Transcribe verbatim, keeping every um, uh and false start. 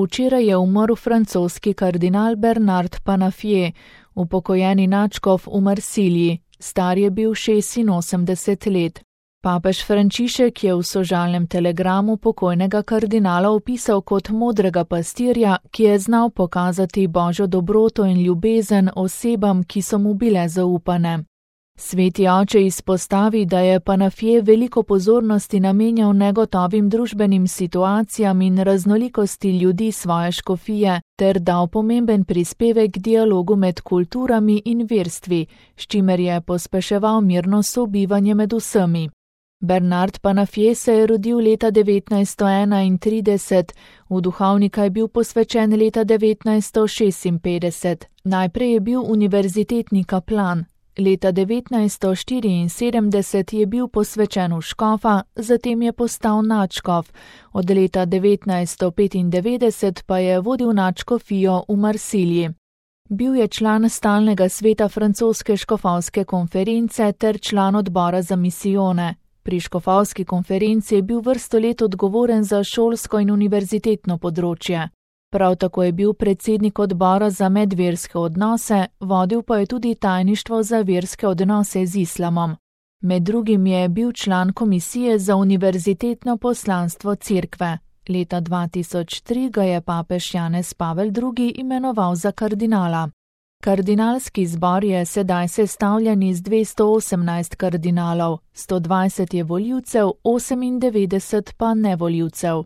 Včeraj je umrl francoski kardinal Bernard Panafier, upokojeni nadškof v Marsiliji, star je bil šestinosemdeset let. Papež Frančišek je v sožalnem telegramu pokojnega kardinala opisal kot modrega pastirja, ki je znal pokazati božjo dobroto in ljubezen osebam, ki so mu bile zaupane. Sveti oče izpostavi, da je Panafier veliko pozornosti namenjal negotovim družbenim situacijam in raznolikosti ljudi svoje škofije, ter dal pomemben prispevek k dialogu med kulturami in verstvi, s čimer je pospeševal mirno sobivanje med vsemi. Bernard Panafier se je rodil leta devetnajststo enaintrideset, v duhovnika je bil posvečen leta devetnajststo šestinpetdeset. Najprej je bil univerzitetni kaplan. Leta devetnajststo štiriinsedemdeset je bil posvečen v škofa, zatem je postal nadškof, od leta devetnajststo petindevetdeset pa je vodil nadškofijo v Marsiliji. Bil je član stalnega sveta francoske škofovske konference ter član odbora za misijone. Pri škofovski konferenci je bil vrsto let odgovoren za šolsko in univerzitetno področje. Prav tako je bil predsednik odbora za medverske odnose, vodil pa je tudi tajništvo za verske odnose z islamom. Med drugim je bil član komisije za univerzitetno poslanstvo cerkve. Leta dva tisoč tri ga je papež Janez Pavel drugi imenoval za kardinala. Kardinalski zbor je sedaj sestavljen iz dvesto osemnajst kardinalov, sto dvajset je volivcev, osemindevetdeset pa nevolivcev.